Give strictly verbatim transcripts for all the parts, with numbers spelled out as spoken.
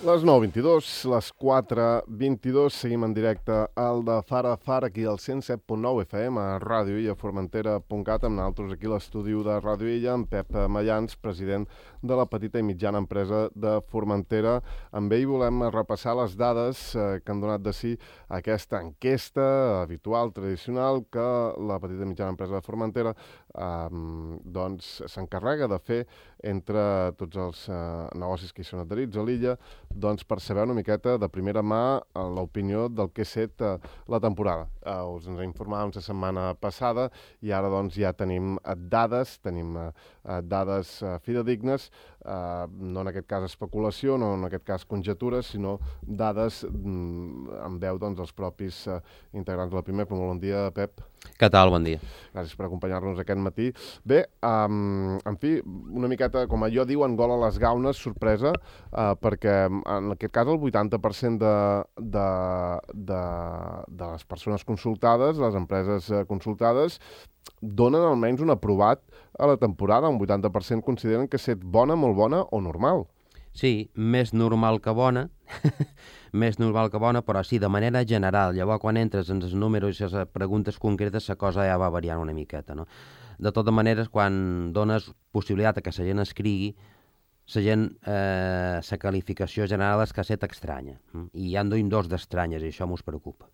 Les nou vint-i-dos, les quatre vint-i-dos, seguim en directe al de Fara a Fara, aquí al cent set punt nou F M, a Ràdio Illa, Formentera punt cat, amb nosaltres aquí a l'estudi de Ràdio Illa, amb Pep Mallans, president de la petita i mitjana empresa de Formentera. Amb ell volem repassar les dades eh, que han donat de si aquesta enquesta habitual, tradicional, que la petita i mitjana empresa de Formentera eh, doncs s'encarrega de fer entre tots els eh, negocis que hi són adherits a l'illa, doncs per saber una miqueta de primera mà l'opinió del que ha set eh, la temporada. Eh, us ens informàvem la setmana passada i ara doncs ja tenim eh, dades, tenim eh, dades eh, fidedignes, eh, no en aquest cas especulació, no en aquest cas conjectures, sinó dades mm, en veu doncs, dels propis eh, integrants de la Pimec. Bon dia, Pep. Què tal? Bon dia. Gràcies per acompanyar-nos aquest matí. Bé, um, en fi, una miqueta, com allò diuen, gol a les gaunes, sorpresa, uh, perquè en aquest cas el vuitanta per cent de, de, de, de les persones consultades, les empreses uh, consultades, donen almenys un aprovat a la temporada. Un vuitanta per cent consideren que ha estat bona, molt bona o normal. Sí, més normal que bona, més normal que bona, però sí, de manera general. Llavors, quan entres en els números i les preguntes concretes, la cosa ja va variant una miqueta, no? De totes maneres, quan dones possibilitat a que la gent escrigui, la gent, eh, la qualificació general és que ha estat estranya. I hi ha dos d'estranyes, i això mos preocupa.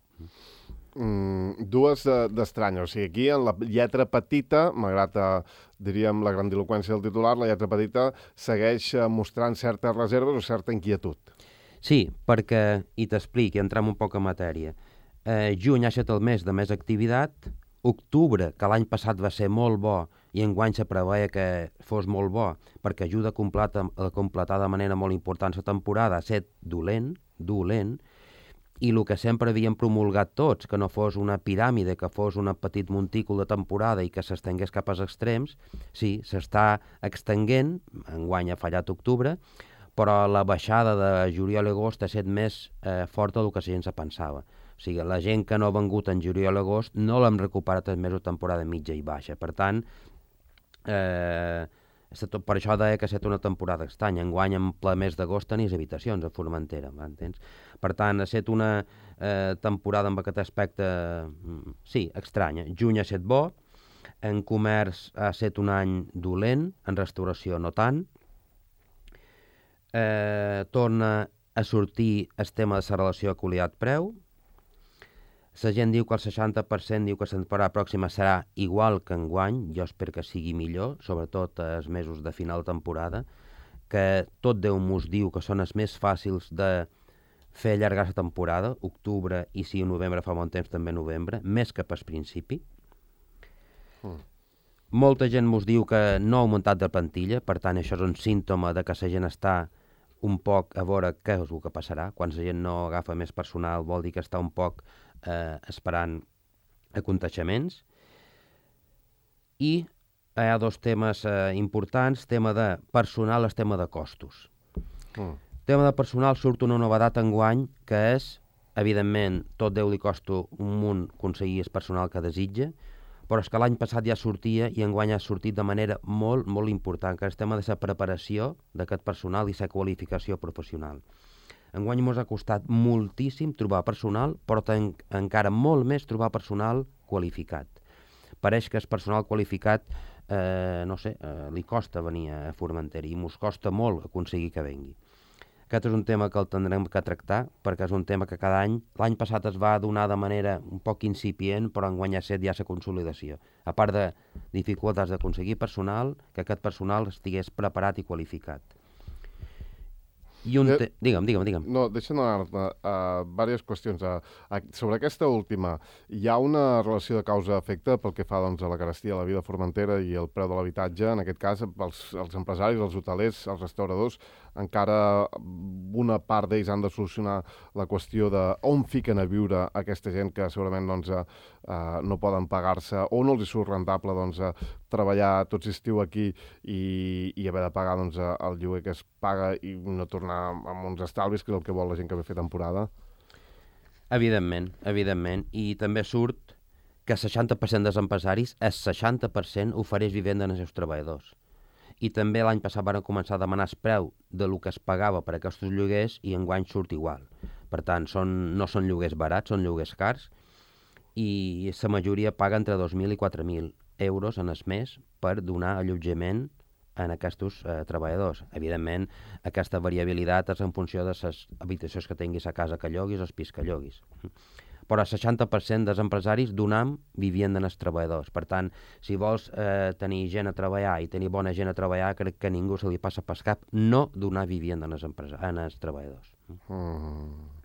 Mm, dues d'estranyes. O sigui, aquí en la lletra petita, malgrat, eh, diríem, la grandiloquència del titular, la lletra petita segueix eh, mostrant certes reserves o certa inquietud. Sí, perquè, i t'explic, i entrem un poc en matèria, eh, juny ha estat el mes de més activitat, octubre, que l'any passat va ser molt bo, i enguany se preveia que fos molt bo, perquè ajuda a completar, a completar de manera molt important la temporada, ha estat dolent, dolent, i el que sempre havíem promulgat tots, que no fos una piràmide, que fos un petit montícul de temporada i que s'estengués cap als extrems, sí, s'està extenguent, enguany ha fallat octubre, però la baixada de juliol i agost ha estat més eh, forta del que la gent se pensava. O sigui, la gent que no ha vengut en juliol i agost no l'hem recuperat els mesos de temporada mitja i baixa. Per tant, eh, per això deia que ha estat una temporada estranya. Enguany, en ple mes d'agost, tenies habitacions a Formentera, m'entens? Per tant, ha estat una eh, temporada amb aquest aspecte, sí, estranya. Juny ha estat bo, en comerç ha estat un any dolent, en restauració no tant. Eh, torna a sortir el tema de la relació qualitat-preu. La gent diu que el seixanta per cent diu que la temporada pròxima serà igual que enguany, jo espero que sigui millor, sobretot els mesos de final de temporada, que tot Déu mos diu que són els més fàcils de fer allargar la temporada, octubre i si en novembre fa bon temps també novembre, més que pel principi. Mm. Molta gent mos diu que no ha augmentat de plantilla, per tant això és un símptoma de que la gent està un poc a veure què és el que passarà. Quan la gent no agafa més personal vol dir que està un poc eh, esperant aconteixements. I hi ha dos temes eh, importants, tema de personal i tema de costos. Mm. Tema de personal surt una novedat enguany que és, evidentment, tot Déu li costa un munt aconseguir el personal que desitja, però és que l'any passat ja sortia i enguany ha sortit de manera molt, molt important, que és el tema de la preparació d'aquest personal i la qualificació professional. Enguany ens ha costat moltíssim trobar personal, però en, encara molt més trobar personal qualificat. Pareix que el personal qualificat, eh, no sé, eh, li costa venir a Formentera i ens costa molt aconseguir que vengui. Aquest és un tema que el tindrem que tractar, perquè és un tema que cada any, l'any passat es va donar de manera un poc incipient, però enguany ha set ja la consolidació. A part de dificultats d'aconseguir personal, que aquest personal estigués preparat i qualificat. I un te... Digue'm, digue'm, digue'm. No, deixa'm anar-te a diverses qüestions. A, a, sobre aquesta última, hi ha una relació de causa-efecte pel que fa doncs, a la carestia, a la vida de Formentera i el preu de l'habitatge. En aquest cas, els, els empresaris, els hotelers, els restauradors, encara una part d'ells han de solucionar la qüestió de on fiquen a viure aquesta gent que segurament doncs, eh, no poden pagar-se o no els surt rentable doncs, treballar tot l'estiu aquí i, i haver de pagar doncs, el lloguer que es paga i no tornar amb uns estalvis, que és el que vol la gent que ve a fer temporada. Evidentment, evidentment. I també surt que el seixanta per cent dels empresaris, el seixanta per cent ofereix vivenda als seus treballadors. i també l'any passat van començar a demanar el preu de lo que es pagava per aquests lloguers i enguany surt igual. Per tant, són, no són lloguers barats, són lloguers cars, i la majoria paga entre dos mil i quatre mil euros en el mes per donar allotjament en aquests eh, treballadors. Evidentment, aquesta variabilitat és en funció de les habitacions que tinguis a casa que lloguis o el pis que lloguis. Però el seixanta per cent dels empresaris donam vivenda als treballadors. Per tant, si vols eh, tenir gent a treballar i tenir bona gent a treballar, crec que a ningú se li passa per cap no donar vivenda als, als treballadors. Mm.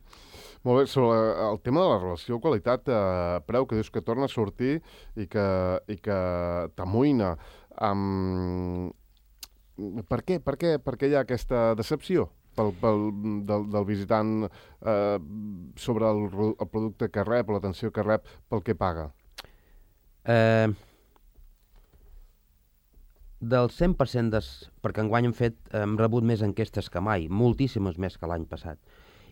Molt bé, sobre el tema de la relació qualitat-preu, eh, que dius que torna a sortir i que, i que t'amoïna. Um, per què? Per què? Per què hi ha aquesta decepció pel, pel, del, del visitant eh, sobre el, el producte que rep o l'atenció que rep pel que paga? Eh, del cent per cent des... perquè enguany hem fet, hem rebut més enquestes que mai, moltíssimes més que l'any passat,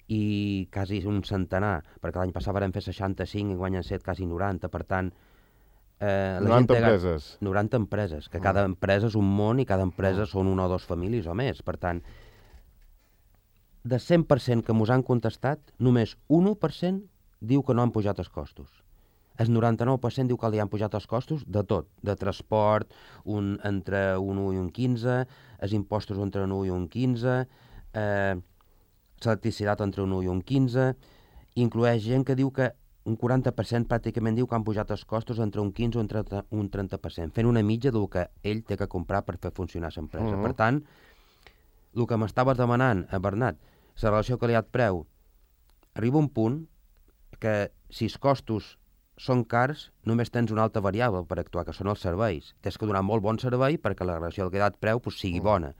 i quasi un centenar, perquè l'any passat vam fer seixanta-cinc i enguany han set quasi noranta, per tant... Eh, noranta empreses. noranta empreses, que cada empresa és un món i cada empresa són una o dues famílies o més. Per tant, de cent per cent que mos han contestat, només un u per cent diu que no han pujat els costos. El noranta-nou per cent diu que li han pujat els costos de tot, de transport, un, entre un u i un quinze, els impostos entre un u i un quinze, eh, l'electricitat entre un u i un quinze, inclueix gent que diu que un quaranta per cent pràcticament diu que han pujat els costos entre un quinze o entre un trenta per cent, fent una mitja del que ell té que comprar per fer funcionar l'empresa. Uh-huh. Per tant, el que m'estaves demanant, a Bernat, la relació qualitat-preu, arriba un punt que si els costos són cars, només tens una altra variable per actuar, que són els serveis. Tens que donar molt bon servei perquè la relació qualitat-preu pues, sigui uh-huh. bona.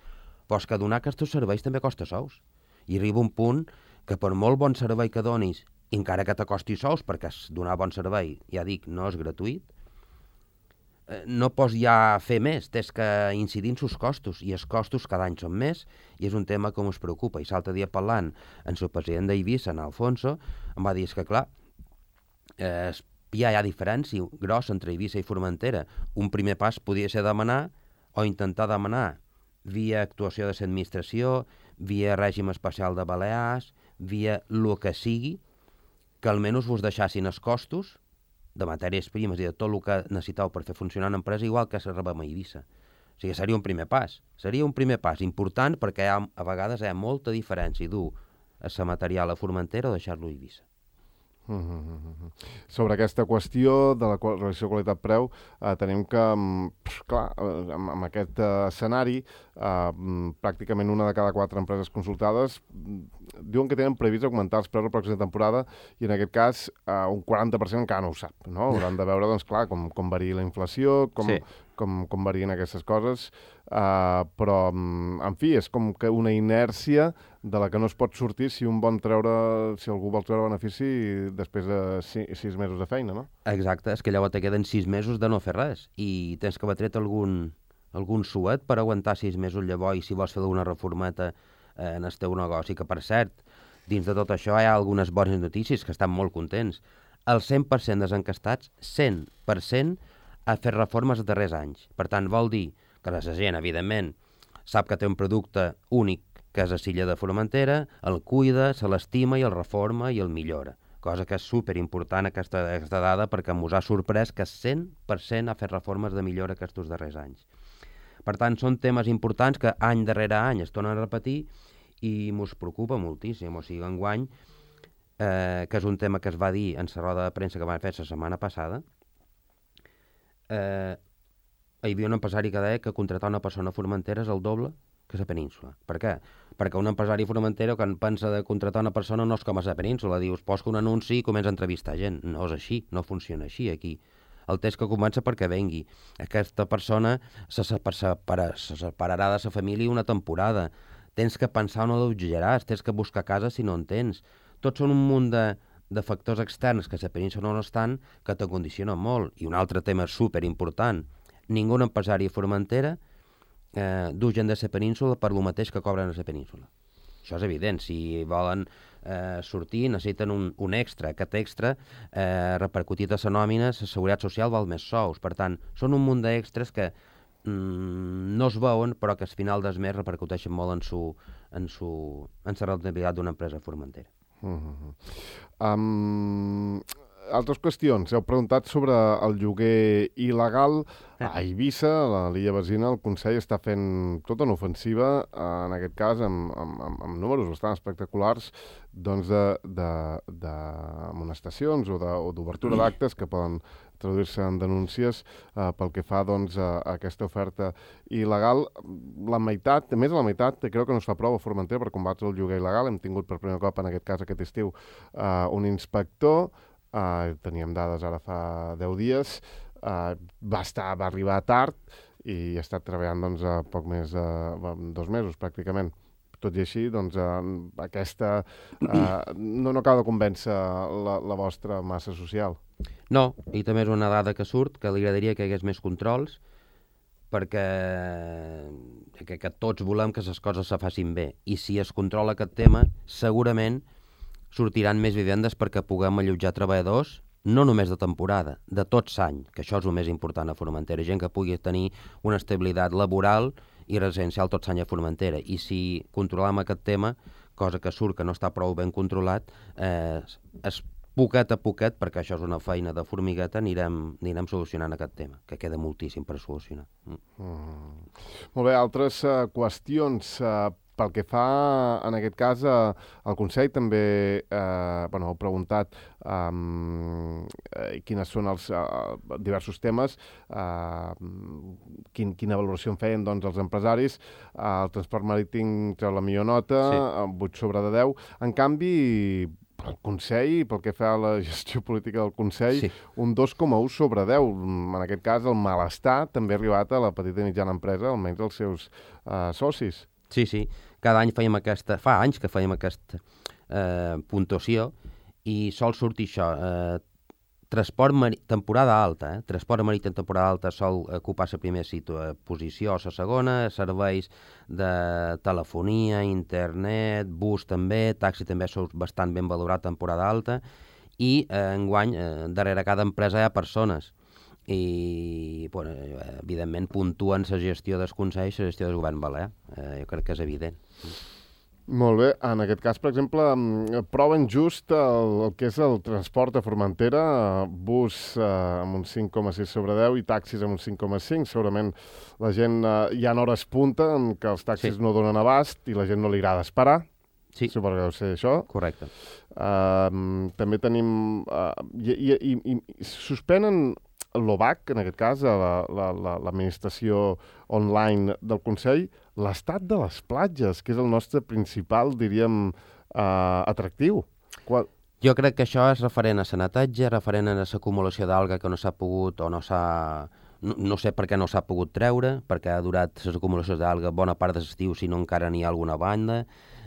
Però és que donar aquests serveis també costa sous. I arriba un punt que per molt bon servei que donis, encara que t'acosti sous, perquè donar bon servei, ja dic, no és gratuït, eh, no pots ja fer més, tens que incidir en els costos, i els costos cada any són més, i és un tema que ens preocupa. I l'altre dia parlant amb el president d'Eivissa, en Alfonso, em va dir que, clar, eh, ja hi ha diferència grossa entre Eivissa i Formentera. Un primer pas podria ser demanar, o intentar demanar, via actuació de l'administració, via règim especial de Balears, via el que sigui, que almenys vos deixassin els costos de matèries primes i de tot el que necessiteu per fer funcionar una empresa igual que se rebem a Eivissa. O sigui, seria un primer pas. Seria un primer pas important perquè ha, a vegades hi ha molta diferència dur el material a Formentera o deixar-lo a Eivissa. Mm-hmm. Sobre aquesta qüestió de la relació qualitat-preu, eh, tenim que, clar, amb, amb aquest eh, escenari, eh, pràcticament una de cada quatre empreses consultades diuen que tenen previst augmentar els preus la pròxima temporada i en aquest cas eh, un quaranta per cent encara no ho sap, no? Hauran de veure, doncs, clar, com, com varia la inflació, com, sí. com, com varien aquestes coses, eh, però, en fi, és com que una inèrcia de la que no es pot sortir si un vol treure, si algú vol treure benefici després de sis, sis mesos de feina, no? Exacte, és que llavors te queden sis mesos de no fer res i tens que haver tret algun, algun suet per aguantar sis mesos llavors i si vols fer alguna reformeta eh, en el teu negoci, que per cert, dins de tot això hi ha algunes bones notícies que estan molt contents. El cent per cent dels encastats, cent per cent ha fet reformes els darrers anys. Per tant, vol dir que la gent, evidentment, sap que té un producte únic que és a l'illa de Formentera, el cuida, se l'estima i el reforma i el millora. Cosa que és superimportant aquesta, aquesta dada perquè mos ha sorprès que cent per cent ha fet reformes de millora aquests darrers anys. Per tant, són temes importants que any darrere any es tornen a repetir i mos preocupa moltíssim. O sigui, enguany, eh, que és un tema que es va dir en la roda de premsa que vam fer la setmana passada, eh, hi havia un empresari que deia que contractar una persona a Formentera és el doble que a la península. Per què? Perquè un empresari formentero quan pensa de contractar una persona no és com a la península, dius, posa un anunci i comença a entrevistar gent. No és així, no funciona així aquí. El test que comença perquè vengui. Aquesta persona se, separa, se separarà de la família una temporada. Tens que pensar on allotjaràs, tens que buscar casa si no en tens. Tots són un munt de, de factors externs que a la península no estan que te condicionen molt. I un altre tema superimportant. Ningú empresari a Formentera Eh, du gent de la península per lo mateix que cobren a la península. Això és evident. Si volen eh, sortir, necessiten un, un extra. Aquest extra, eh, repercutit a la nòmina, la seguretat social val més sous. Per tant, són un munt d'extras que mm, no es veuen, però que al final del mes repercuteixen molt en su, en su, en la rendibilitat d'una empresa formentera. Uh-huh. Um, altres qüestions. Heu preguntat sobre el lloguer il·legal. A Eivissa, a l'illa Besina, el Consell està fent tota una ofensiva, en aquest cas, amb, amb, amb números bastant espectaculars, doncs de, de, de amonestacions o d'obertura d'actes que poden traduir-se en denúncies eh, pel que fa doncs, a, a aquesta oferta il·legal. La meitat, més de la meitat, crec que no es fa prou a Formentera per combatre el lloguer il·legal. Hem tingut per primer cop, en aquest cas, aquest estiu, eh, un inspector, eh, teníem dades ara fa deu dies, Uh, va estar, va arribar tard i ha estat treballant doncs, a poc més de uh, dos mesos pràcticament. Tot i així, doncs, uh, aquesta uh, no, no acaba de convèncer la, la vostra massa social. No, i també és una dada que surt, que li agradaria que hi hagués més controls, perquè que, que tots volem que les coses se facin bé. I si es controla aquest tema, segurament sortiran més vivendes perquè puguem allotjar treballadors, no només de temporada, de tot l'any, que això és el més important a Formentera, gent que pugui tenir una estabilitat laboral i residencial tot l'any a Formentera. I si controlem aquest tema, cosa que surt que no està prou ben controlat, eh, es poquet a poquet, perquè això és una feina de formigueta, anirem, anirem solucionant aquest tema, que queda moltíssim per solucionar. Mm. Mm. Molt bé, altres uh, qüestions. Uh, pel que fa, en aquest cas, uh, el Consell també uh, bueno, heu preguntat um, uh, quines són els uh, diversos temes, uh, quin, quina valoració en feien doncs, els empresaris. Uh, el transport marítim treu la millor nota, sí. uh, vuit sobre de deu. En canvi, el Consell, pel que fa a la gestió política del Consell, sí. un dos coma u sobre deu. En aquest cas, el malestar també ha arribat a la petita i mitjana empresa, almenys els seus uh, socis. Sí, sí. Cada any fèiem aquesta... Fa anys que fèiem aquesta eh, puntuació i sol sortir això. Eh, transport marí... temporada alta, eh? Transport marítim temporada alta sol ocupar la primera situa... posició o la segona, serveis de telefonia, internet, bus també, taxi també sou bastant ben valorat temporada alta i eh, enguany, eh, darrere cada empresa hi ha persones i, bueno, evidentment, puntuen la gestió dels consells i la gestió del govern balear. Eh, jo crec que és evident. Molt bé. En aquest cas, per exemple, proven just el, el que és el transport a Formentera, bus eh, amb un cinc coma sis sobre deu i taxis amb un cinc coma cinc. Segurament la gent, eh, hi ha hores punta en què els taxis sí. no donen abast i la gent no li agrada esperar. Sí. Suposo que deu ser això. Correcte. Uh, també tenim... Uh, i, i, i, i suspenen l'O B A C, en aquest cas, l'administració la, la, online del Consell, l'estat de les platges, que és el nostre principal, diríem, uh, atractiu. Qual... Jo crec que això és referent a la netatge, referent a l'acumulació d'alga que no s'ha pogut o no s'ha... No, no sé per què no s'ha pogut treure, perquè ha durat les acumulacions d'alga bona part de l'estiu, si no encara n'hi ha alguna banda.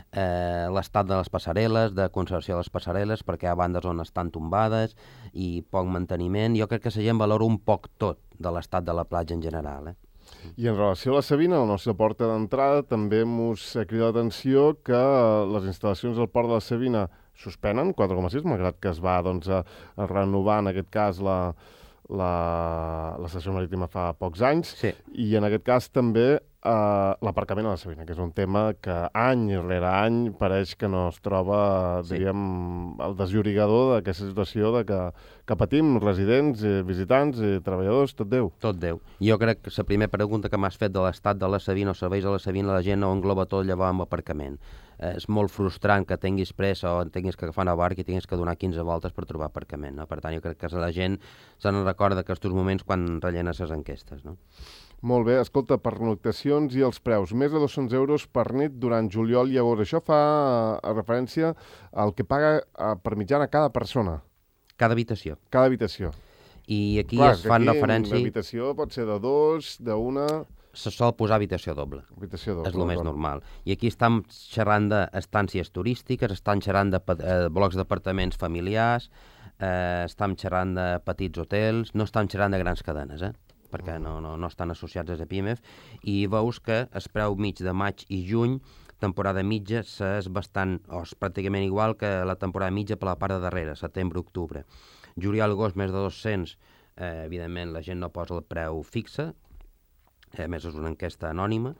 Eh, l'estat de les passarel·les, de conservació de les passarel·les, perquè hi ha bandes on estan tombades i poc manteniment. Jo crec que la gent valora un poc tot de l'estat de la platja en general. Eh? I en relació a la Sabina, la nostra porta d'entrada, també mos crida l'atenció que les instal·lacions del port de la Sabina suspenen, quatre coma sis, malgrat que es va doncs, a, a renovar, en aquest cas, la, la, l'estació marítima fa pocs anys, sí. I en aquest cas també Uh, l'aparcament a la Sabina, que és un tema que any rere any pareix que no es troba, sí. diríem, el desllorigador d'aquesta situació de que, que patim residents, eh, visitants, eh, treballadors, tot Déu. Tot Déu. Jo crec que la primera pregunta que m'has fet de l'estat de la Sabina o serveis a la Sabina, la gent no engloba tot llavors amb aparcament. Eh, és molt frustrant que tinguis pressa o tinguis que agafar una barca i tinguis que donar quinze voltes per trobar aparcament. No? Per tant, jo crec que la gent se n'en recorda aquests moments quan rellena les enquestes. No? Molt bé, escolta, pernoctacions i els preus. Més de dos-cents euros per nit durant juliol i agost. Això fa a referència al que paga a, per mitjana cada persona. Cada habitació. Cada habitació. I aquí Clar, es fan aquí referència... L'habitació pot ser de dos, d'una... Se sol posar habitació doble. Habitació doble. És el més normal. I aquí estem xerrant d'estàncies turístiques, estan xerrant de eh, blocs d'apartaments familiars, eh, estem xerrant de petits hotels, no estem xerrant de grans cadenes, eh? perquè no, no, no estan associats a P I M E F, i veus que el preu mig de maig i juny, temporada mitja, és bastant, o és pràcticament igual que la temporada mitja per la part de darrere, setembre-octubre. Juliol-agost més de dos-cents, eh, evidentment la gent no posa el preu fixe, A més, és una enquesta anònima,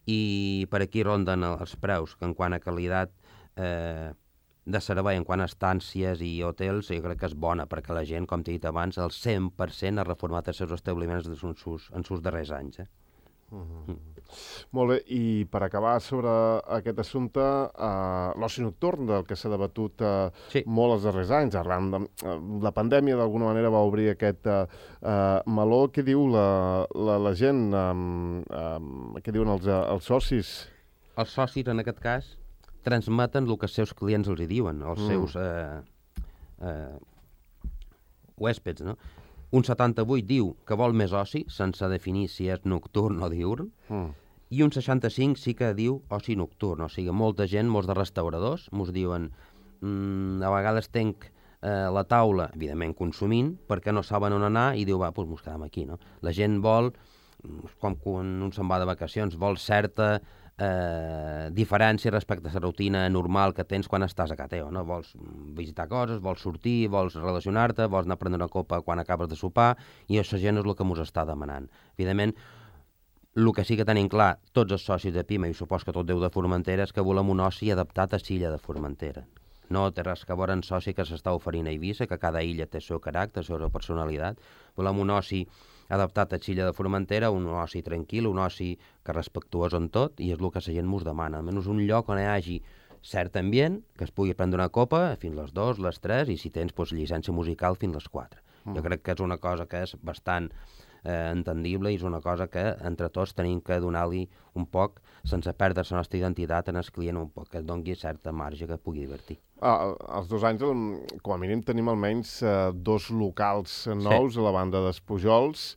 i per aquí ronden els preus, que en quant a qualitat eh, de servei, en quant a estàncies i hotels, jo crec que és bona, perquè la gent, com t'he dit abans, el cent per cent ha reformat els seus establiments en sus, en sus darrers anys. Eh? Uh-huh. Mm. Molt bé, i per acabar sobre aquest assumpte, uh, l'oci nocturn, del que s'ha debatut uh, sí. molt els darrers anys, arran de uh, la pandèmia d'alguna manera va obrir aquest uh, uh, meló. Què diu la, la, la gent? Um, um, què diuen els, uh, els socis? Els socis, en aquest cas, transmeten el que els seus clients els hi diuen, els mm. seus eh, eh, huèspeds, no? Un setanta-vuit diu que vol més oci, sense definir si és nocturn o diurn, mm. i un seixanta-cinc sí que diu oci nocturn, o sigui, molta gent, molts de restauradors, mos diuen mmm, a vegades tenc eh, la taula, evidentment consumint, perquè no saben on anar, i diu, va, doncs mos quedem aquí, no? La gent vol, com quan un se'n va de vacacions, vol certa eh, diferència respecte a la rutina normal que tens quan estàs a casa teva, no? Vols visitar coses, vols sortir, vols relacionar-te, vols anar a prendre una copa quan acabes de sopar, i això gent és el que mos està demanant. Evidentment, el que sí que tenim clar, tots els socis de Pima, i supos que tot Déu de Formentera, és que volem un oci adaptat a l'illa de Formentera. No té res que veure en soci que s'està oferint a Eivissa, que cada illa té el seu caràcter, la seva personalitat. Volem un oci adaptat a l'illa de Formentera, un oci tranquil, un oci que respectuós en tot, i és el que la gent mos demana. Almenys un lloc on hi hagi cert ambient, que es pugui prendre una copa fins les dues, les tres, i si tens doncs, llicència musical fins les quatre. Mm. Jo crec que és una cosa que és bastant eh, entendible, i és una cosa que entre tots tenim que donar-li un poc, sense perdre la nostra identitat, en el client un poc, que es doni certa marge que pugui divertir. Ah, els dos anys, com a mínim, tenim almenys eh, dos locals nous sí. a la banda d'Espujols.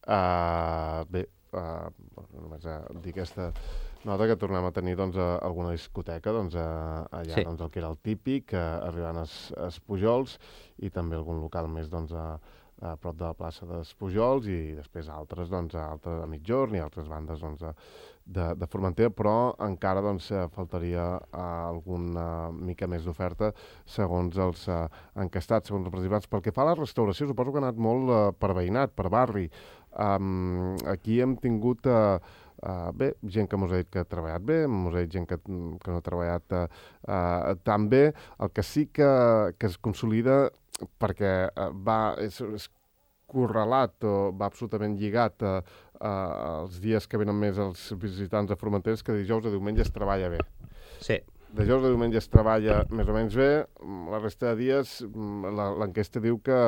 Uh, bé, uh, només a dir aquesta nota que tornem a tenir doncs, a alguna discoteca doncs, a, allà sí. doncs, el que era el típic, uh, arribant a Espujols, i també algun local més doncs, a, a prop de la plaça d'Espujols, i després altres doncs, a, altres, a mitjorn i altres bandes doncs, a, de, de Formentera, però encara doncs, faltaria uh, alguna mica més d'oferta segons els uh, encastats, segons els participants. Pel que fa a la restauració, suposo que ha anat molt uh, per veïnat, per barri. Um, aquí hem tingut uh, uh, bé, gent que mos ha dit que ha treballat bé, mos ha dit gent que, que no ha treballat uh, uh, tan bé. El que sí que, que es consolida, perquè uh, va, és, és correlat o va absolutament lligat uh, uh, els dies que venen més els visitants a Formentera, que dijous a diumenge es treballa bé. Sí. Dijous a diumenge es treballa més o menys bé, la resta de dies l'enquesta diu que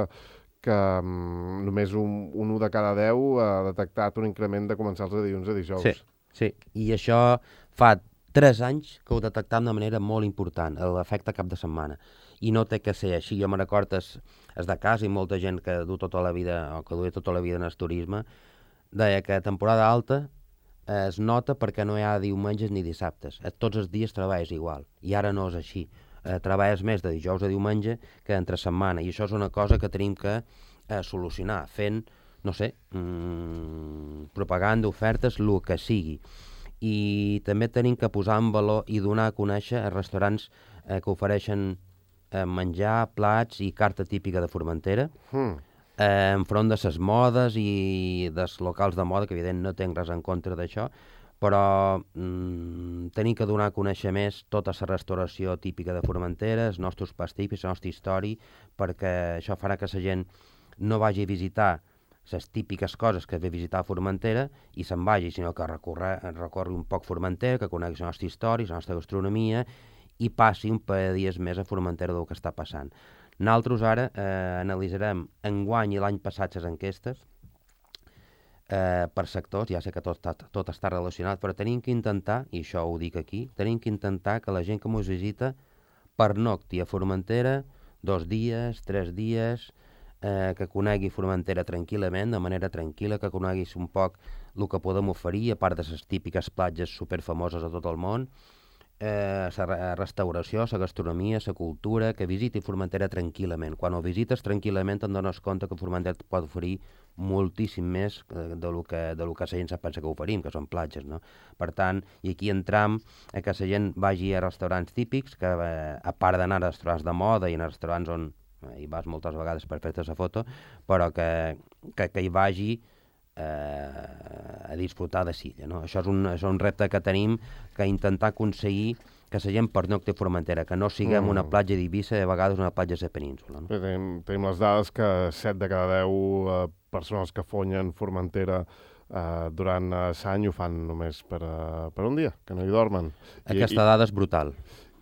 que um, només un, un u de cada deu ha detectat un increment de començar de dilluns a dijous. Sí, sí. I això fa tres anys que ho detectam de manera molt important, l'efecte cap de setmana. I no té que ser així. Jo me recordo es, es de casa, i molta gent que du tota la vida, o que duia tota la vida en el turisme, deia que a temporada alta es nota perquè no hi ha diumenges ni dissabtes. Tots els dies treballes igual. I ara no és així. Eh, treballes més de dijous a diumenge que entre setmana, i això és una cosa que tenim que eh, solucionar, fent, no sé, mmm, propaganda, ofertes, el que sigui. I també tenim que posar en valor i donar a conèixer a restaurants eh, que ofereixen eh, menjar, plats i carta típica de Formentera, mm. eh, enfront de les modes i dels locals de moda, que evident no tinc res en contra d'això, però mm, tenim que donar a conèixer més tota la restauració típica de Formentera, els nostres pastissos, la nostra història, perquè això farà que la gent no vagi a visitar les típiques coses que ve a visitar a Formentera i se'n vagi, sinó que recorre, recorri un poc Formentera, que conegui la nostra història, la nostra gastronomia, i passi un parell de dies més a Formentera del que està passant. Nosaltres ara eh, analitzarem enguany i l'any passat les enquestes, Eh, per sectors, ja sé que tot, tot, tot està relacionat, però tenim que intentar, i això ho dic aquí, tenim que intentar que la gent que ens visita pernocti a Formentera dos dies, tres dies, eh, que conegui Formentera tranquil·lament, de manera tranquil·la, que coneguis un poc el que podem oferir, a part de les típiques platges superfamoses a tot el món, eh, la restauració, la gastronomia, la cultura, que visiti Formentera tranquil·lament. Quan ho visites tranquil·lament et dones compte que Formentera et pot oferir moltíssim més eh, de lo que, de lo que la gent sap pensa que oferim, que són platges, no? Per tant, i aquí entram a que la gent vagi a restaurants típics, que eh, a part d'anar a restaurants de moda i a restaurants on eh, hi vas moltes vegades per fer-te la foto, però que, que, que hi vagi eh, a disfrutar de Silla. No? Això és un, és un repte que tenim, que intentar aconseguir que la gent pernocti a Formentera, que no siguem mm. una platja d'Eivissa i a vegades una platja de península. No? Tenim, tenim les dades que set de cada deu eh, persones que fonyen Formentera eh, durant l'any ho fan només per, uh, per un dia, que no hi dormen. Aquesta I, dada és brutal.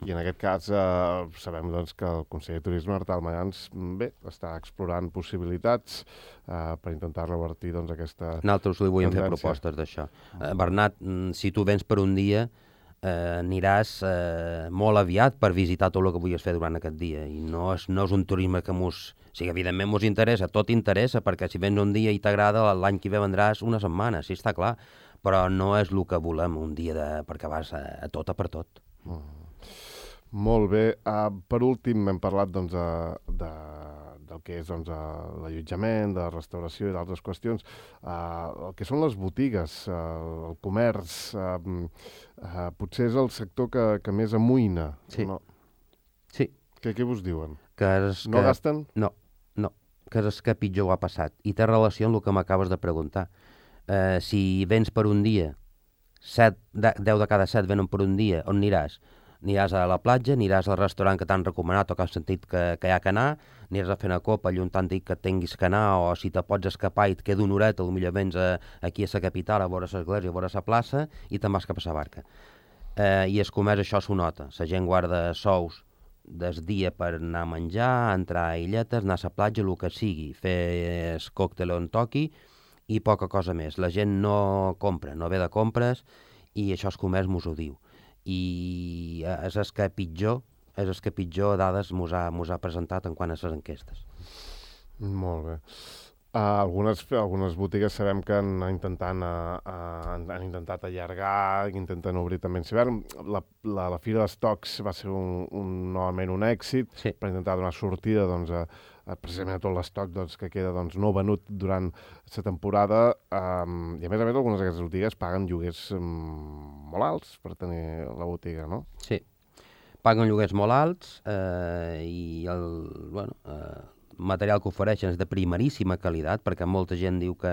I en aquest cas eh, sabem doncs, que el conseller de Turisme, Artal Mayans, bé, està explorant possibilitats eh, per intentar revertir doncs, aquesta Nosaltres li volíem tendència. fer propostes d'això. Eh, Bernat, si tu vens per un dia, eh, aniràs eh, molt aviat per visitar tot el que volies fer durant aquest dia. I no és, no és un turisme que mos... O sigui, evidentment mos interessa, tot interessa, perquè si vens un dia i t'agrada, l'any que ve vendràs una setmana, sí, està clar. Però no és el que volem, un dia de... perquè vas a, a tot a per tot. Mm. Molt bé. Uh, per últim, hem parlat doncs, de, de, del que és doncs, l'allotjament, de la restauració i d'altres qüestions. Uh, el que són les botigues, uh, el comerç, uh, uh, potser és el sector que, que més amoïna. Sí. No? Sí. Què, què vos diuen? Que és no que... gasten? No, no. Que és que pitjor ho ha passat. I té relació amb el que m'acabes de preguntar. Uh, si vens per un dia, set, de, deu de cada set venen per un dia, on aniràs? Aniràs a la platja, aniràs al restaurant que t'han recomanat o que has sentit que, que hi ha que anar, aniràs a fer una copa allà on t'han dit que tinguis que anar, o si te pots escapar i et queda una horeta, potser vens a, aquí a la capital a veure l'església, a veure la plaça, i te'n vas cap a la barca. Eh, I el comerç això s'ho nota. La gent guarda sous des dia per anar a menjar, entrar a illetes, anar a la platja, el que sigui, fer el còctel on toqui i poca cosa més. La gent no compra, no ve de compres, i això el comerç mos ho diu. I és el que pitjor, és el que pitjor dades mos ha, mos ha presentat en quant a les enquestes. Molt bé. Uh, algunes, algunes botigues sabem que han, intentant, uh, uh, han, han intentat allargar, intenten obrir també en hivern. La, la, la Fira d'Estocs va ser un, un, novament un èxit, sí. per intentar donar sortida doncs, a, a precisament a tot l'estoc doncs, que queda doncs, no venut durant la temporada. Um, I a més a més algunes d'aquestes botigues paguen lloguers um, molt alts per tenir la botiga, no? Sí, paguen lloguers molt alts eh, i el... bueno... Eh, material que ofereixen és de primeríssima qualitat, perquè molta gent diu que,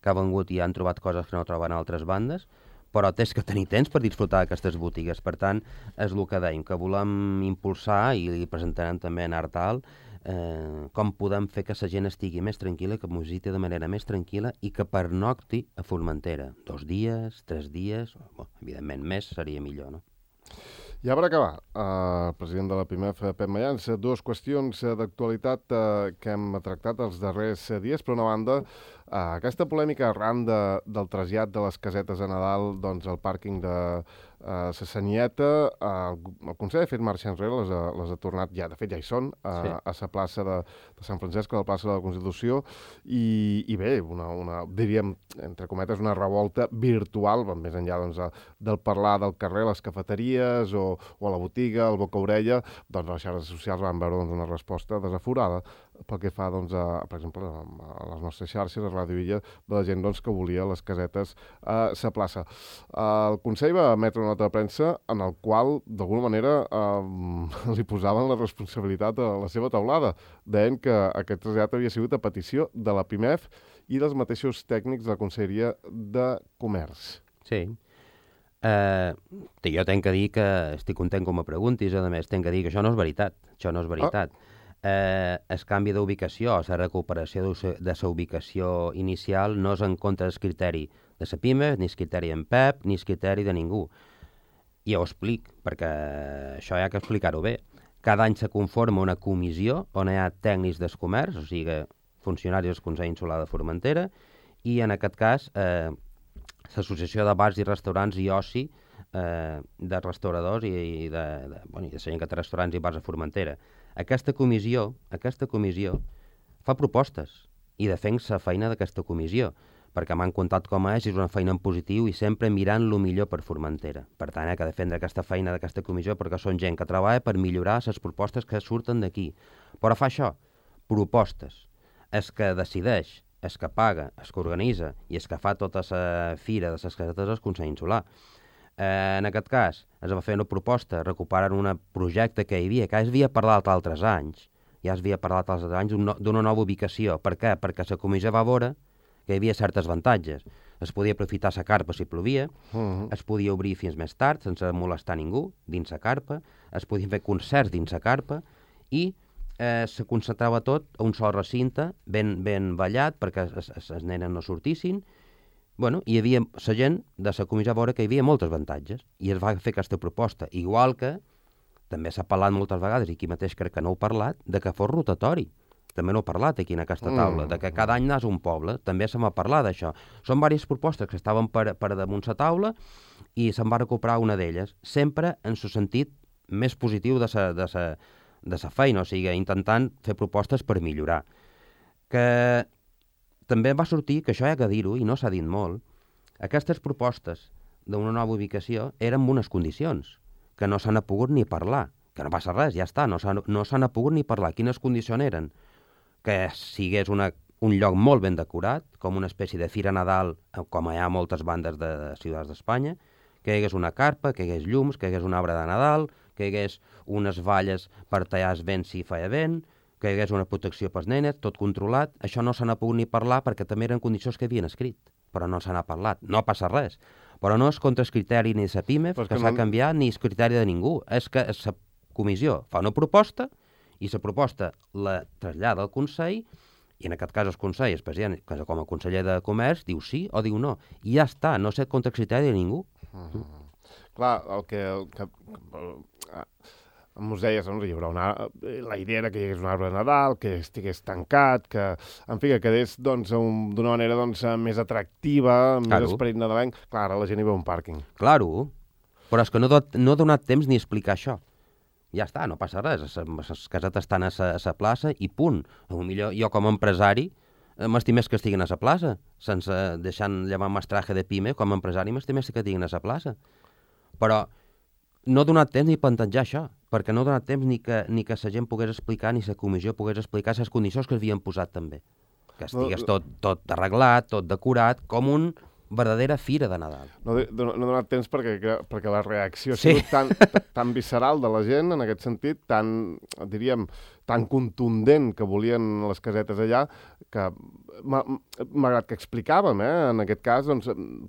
que ha vengut i han trobat coses que no troben a altres bandes, però tens que tenir temps per disfrutar d'aquestes botigues. Per tant, és el que dèiem, que volem impulsar, i li presentarem també en Artal, eh, com podem fer que la gent estigui més tranquil·la, que es visiti de manera més tranquil·la i que pernocti a Formentera. Dos dies, tres dies, bueno, evidentment més seria millor, no? Ja per acabar, uh, president de la P I M E F, Pep Mayans, dues qüestions uh, d'actualitat uh, que hem tractat els darrers uh, dies. Per una banda, uh, aquesta polèmica arran de, del trasllat de les casetes a Nadal doncs, al pàrquing de uh, la Sanieta, uh, el Consell ha fet marxa enrere, les ha, les ha tornat, ja, de fet ja hi són, uh, sí. a la plaça de, de Sant Francesc, a la plaça de la Constitució, i, i bé, una, una, diríem, entre cometes, una revolta virtual, més enllà doncs, del parlar del carrer, les cafeteries o o a la botiga, al boca-orella, doncs les xarxes socials van veure doncs, una resposta desaforada pel que fa, doncs, a, per exemple, a les nostres xarxes, a Ràdio Illa, de la gent doncs, que volia les casetes a sa plaça. El Consell va emetre una nota de premsa en el qual, d'alguna manera, eh, li posaven la responsabilitat a la seva taulada. Deien que aquest trasllat havia sigut a petició de la P I M E F i dels mateixos tècnics de la Conselleria de Comerç. Sí. Uh, jo tenc que dir que estic content com me preguntis, a més tenc que dir que això no és veritat, això no és veritat. Oh. Uh, el canvi d'ubicació, la recuperació de la ubicació inicial no és en contra del criteri de la P I M E, ni el criteri en Pep, ni el criteri de ningú. I ho explic, perquè això hi ha que explicar-ho bé. Cada any se conforma una comissió on hi ha tècnics del comerç, o sigui, funcionaris del Consell Insular de Formentera, i en aquest cas eh, l'Associació de Bars i Restaurants i Oci eh, de restauradors i, i de, de, bueno, i de gent que té restaurants i bars a Formentera. Aquesta comissió, aquesta comissió fa propostes i defensa la feina d'aquesta comissió, perquè m'han contat com és, és una feina en positiu i sempre mirant el millor per Formentera. Per tant, hi ha que defendre aquesta feina d'aquesta comissió perquè són gent que treballa per millorar les propostes que surten d'aquí. Però fa això, propostes. És que decideix, és que paga, és que organitza i és que fa tota la fira de les casetes del Consell Insular. Eh, en aquest cas, es va fer una proposta recuperant un projecte que hi havia, que ja havia parlat altres anys, ja es havia parlat altres anys d'una nova ubicació. Per què? Perquè la comissió va veure que hi havia certes avantatges. Es podia aprofitar la carpa si plovia, Uh-huh. es podia obrir fins més tard sense molestar ningú dins la carpa, es podien fer concerts dins la carpa i eh, se concentrava tot a un sol recinte, ben, ben ballat, perquè els nenes no sortissin. Bueno, hi havia la gent de la comissió a veure que hi havia molts avantatges i es va fer aquesta proposta, igual que també s'ha parlat moltes vegades, i aquí mateix crec que no heu parlat, de que fos rotatori. També no he parlat aquí en aquesta taula, Mm. de que cada any anàs a un poble, també se m'ha parlat d'això. Són diverses propostes que estaven per, per damunt la taula i se'n va recuperar una d'elles, sempre en el sentit més positiu de sa, de sa, de sa feina, o sigui, intentant fer propostes per millorar. Que també va sortir, que això hi ha que dir-ho, i no s'ha dit molt, aquestes propostes d'una nova ubicació eren amb unes condicions, que no s'han pogut ni parlar, que no passa res, ja està, no s'han no s'han pogut ni parlar. Quines condicions eren? Que sigués una, un lloc molt ben decorat, com una espècie de fira Nadal, com hi ha moltes bandes de, de ciutats d'Espanya, que hi hagués una carpa, que hi hagués llums, que hi hagués un arbre de Nadal, que hi hagués unes valles per tallar el vent si feia vent, que hi hagués una protecció pels nenes, tot controlat. Això no se n'ha pogut ni parlar perquè també eren condicions que havien escrit, però no se n'ha parlat. No passa res. Però no és contra el criteri ni de la PIME, que, que s'ha no... canviat, ni el criteri de ningú. És que la comissió fa una proposta i la proposta la trasllada al Consell, i en aquest cas el Consell, el president, com a conseller de Comerç, diu sí o diu no. I ja està, no sé contra el criteri de ningú. Uh-huh. Clar, el que... El que uh, ens deies, doncs, hi haurà una, la idea era que hi hagués un arbre de Nadal, que estigués tancat, que, en fi, que quedés doncs, un, d'una manera doncs, més atractiva, més claro. Esperit nadalenc. Clar, ara la gent hi veu un pàrquing. Claro, però és que no, no ha donat temps ni explicar això. Ja està, no passa res, les casetes estan a la plaça i punt. Potser jo com a empresari m'estimés que estiguin a la plaça, sense deixant llevar mestraje de PIME, com a empresari m'estimés que estiguin a la plaça. Però no ha donat temps ni plantejar això, perquè no ha donat temps ni que, ni que la gent pogués explicar, ni la comissió pogués explicar les condicions que havien posat també. Que estigués tot, tot arreglat, tot decorat, com un verdadera fira de Nadal. No, no, no ha donat temps perquè, perquè la reacció ha sigut sí. tan, tan visceral de la gent, en aquest sentit, tan, diríem, tan contundent que volien les casetes allà, que malgrat que explicàvem, eh, en aquest cas, doncs,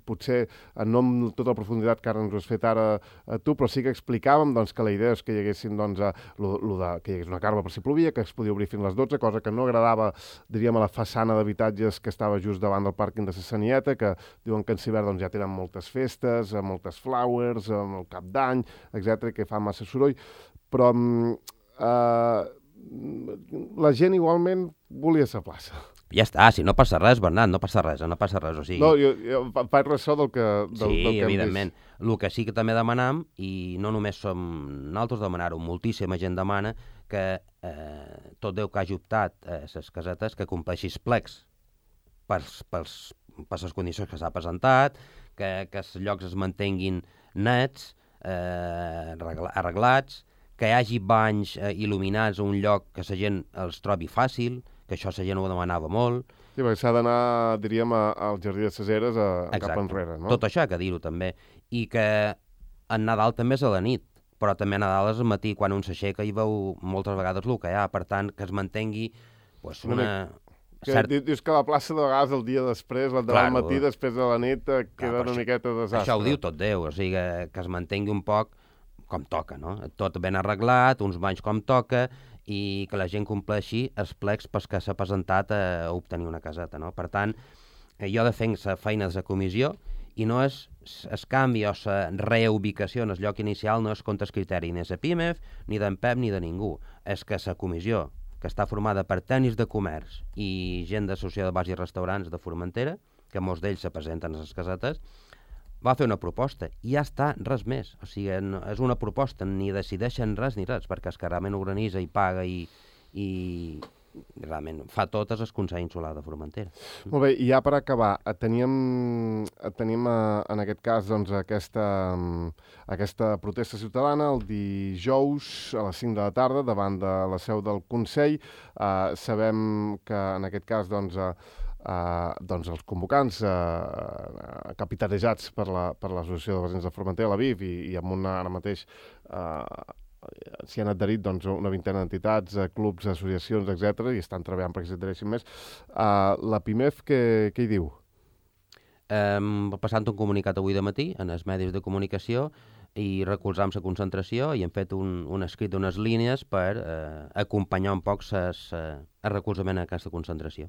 potser no amb tota la profunditat que ara ens ho has fet ara a tu, però sí que explicàvem doncs, que la idea és que hi haguessin, doncs, a, lo, lo de, que hi hagués una carpa per si plovia, que es podia obrir fins a les dotze, cosa que no agradava, diríem, a la façana d'habitatges que estava just davant del pàrquing de la Sanieta, que diuen que en Cibert doncs, ja tenen moltes festes, moltes flowers, el cap d'any, etcètera, que fa massa soroll, però eh, la gent igualment volia la plaça. Ja està, si no passa res, Bernat, no passa res, no passa res, o sigui... No, jo, jo faig ressò del que, del, sí, del que evidentment. El que sí que també demanam, i no només som nosaltres demanar-ho, moltíssima gent demana que eh, tot Déu que hagi optat a eh, les casetes que compleixi els plecs pels, pels, per les condicions que s'ha presentat, que, que els llocs es mantenguin nets, eh, arreglats, que hi hagi banys eh, il·luminats a un lloc que la gent els trobi fàcil, que això la gent ho demanava molt. Sí, perquè s'ha d'anar, diríem, al Jardí de les Eres a, a cap enrere, no? Tot això, que dir-ho també. I que en Nadal també és a la nit, però també a Nadal és al matí, quan un s'aixeca i veu moltes vegades el que hi ha, per tant, que es mantengui pues, una... Que cert... Dius que la plaça de vegades el dia després, el demà al matí, després de la nit, queda Clar, una miqueta de desastre. Això ho diu tot Déu, o sigui, que, que es mantengui un poc com toca, no? Tot ben arreglat, uns banys com toca, i que la gent compleixi els plecs pels que s'ha presentat a obtenir una caseta, no? Per tant, jo defenc la feina de la comissió i no és el canvi o la reubicació en el lloc inicial no és contra el criteri ni de la PIMEF, ni d'en Pep, ni de ningú. És que la comissió, que està formada per tècnics de comerç i gent d'associació de bars i restaurants de Formentera, que molts d'ells se presenten a les casetes, va fer una proposta i ja està, res més. O sigui, no, és una proposta, ni decideixen res ni res, perquè és que realment organitza i paga i, i realment fa totes el Consell Insular de Formentera. Molt bé, i ja per acabar, teníem, tenim en aquest cas doncs, aquesta, aquesta protesta ciutadana el dijous a les cinc de la tarda davant de la seu del Consell. Uh, sabem que en aquest cas doncs, uh, Uh, doncs els convocants uh, capitanejats per la, per l'Associació de Veïns de Formentera, la B I F, i, i amb una ara mateix uh, s'hi han adherit doncs, una vintena d'entitats, uh, clubs, associacions, etcètera, i estan treballant perquè s'hi adhereixin més. Uh, la PIMEF, què, què hi diu? Hem passat un comunicat avui de matí en els medis de comunicació i recolzam la concentració i hem fet un, un escrit d'unes línies per eh, acompanyar un poc ses, eh, el recolzament a aquesta concentració.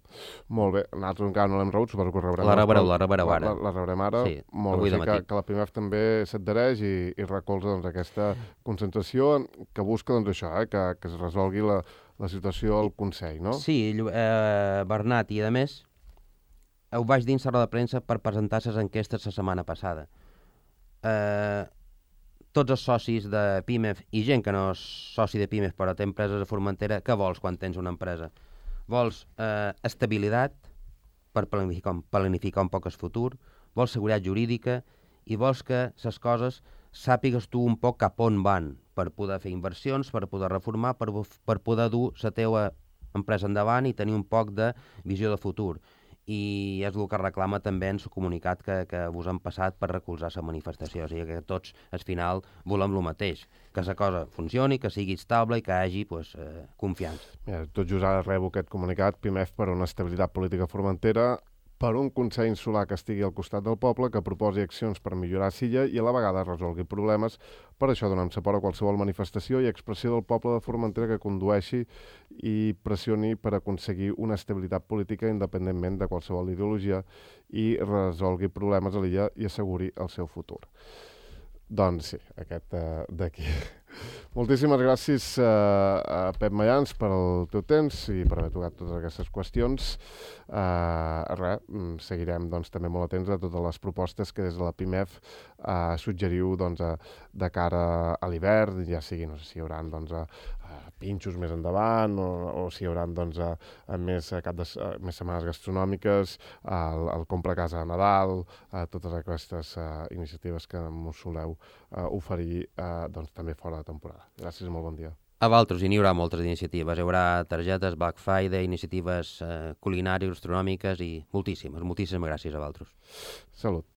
Molt bé. Nosaltres encara no l'hem rebut, suposo que ho rebrem. La rebreu, la rebreu ara. La, la, la rebrem ara. Sí, molt avui bé. de Sí, matí. que, que la PIMEF també s'adhereix i, i recolza doncs, aquesta concentració que busca doncs, això, eh, que, que es resolgui la, la situació al Consell, no? Sí, eh, Bernat, i a més, ho vaig dir en sala de premsa per presentar les enquestes la setmana passada. Eh, tots els socis de PIMEF i gent que no és soci de PIMEF però té empreses a Formentera, què vols quan tens una empresa? Vols eh, estabilitat per planificar, planificar un poc el futur, vols seguretat jurídica i vols que les coses sàpigues tu un poc cap on van per poder fer inversions, per poder reformar, per, per poder dur la teva empresa endavant i tenir un poc de visió de futur. I és el que reclama també en el comunicat que, que vos han passat per recolzar la manifestació. O sigui que tots, al final, volem el mateix, que la cosa funcioni, que sigui estable i que hi hagi pues, eh, confiança. Mira, tot just ara rebo aquest comunicat, PIMEF per una estabilitat política a Formentera, per un Consell Insular que estigui al costat del poble, que proposi accions per millorar Silla i a la vegada resolgui problemes. Per això donem suport a qualsevol manifestació i expressió del poble de Formentera que condueixi i pressioni per aconseguir una estabilitat política independentment de qualsevol ideologia i resolgui problemes a l'illa i asseguri el seu futur. Doncs sí, aquest uh, d'aquí. Moltíssimes gràcies uh, a Pep Mayans per el teu temps i per haver tocat totes aquestes qüestions. Uh, res, seguirem doncs, també molt atents a totes les propostes que des de la PIMEF uh, suggeriu doncs, a, de cara a l'hivern, ja sigui, no sé si hi haurà doncs, a, a pinxos més endavant o, o si hi haurà doncs, a, a més, a cap de, a, més setmanes gastronòmiques, al, al compra a casa a Nadal, a totes aquestes uh, iniciatives que mos soleu uh, oferir uh, doncs, també fora de temporada. Gràcies i molt bon dia. A Valtros, i n'hi haurà moltes iniciatives. Hi haurà targetes, Black Friday, iniciatives eh, culinàries, gastronòmiques i moltíssimes, moltíssimes gràcies a Valtros. Salut.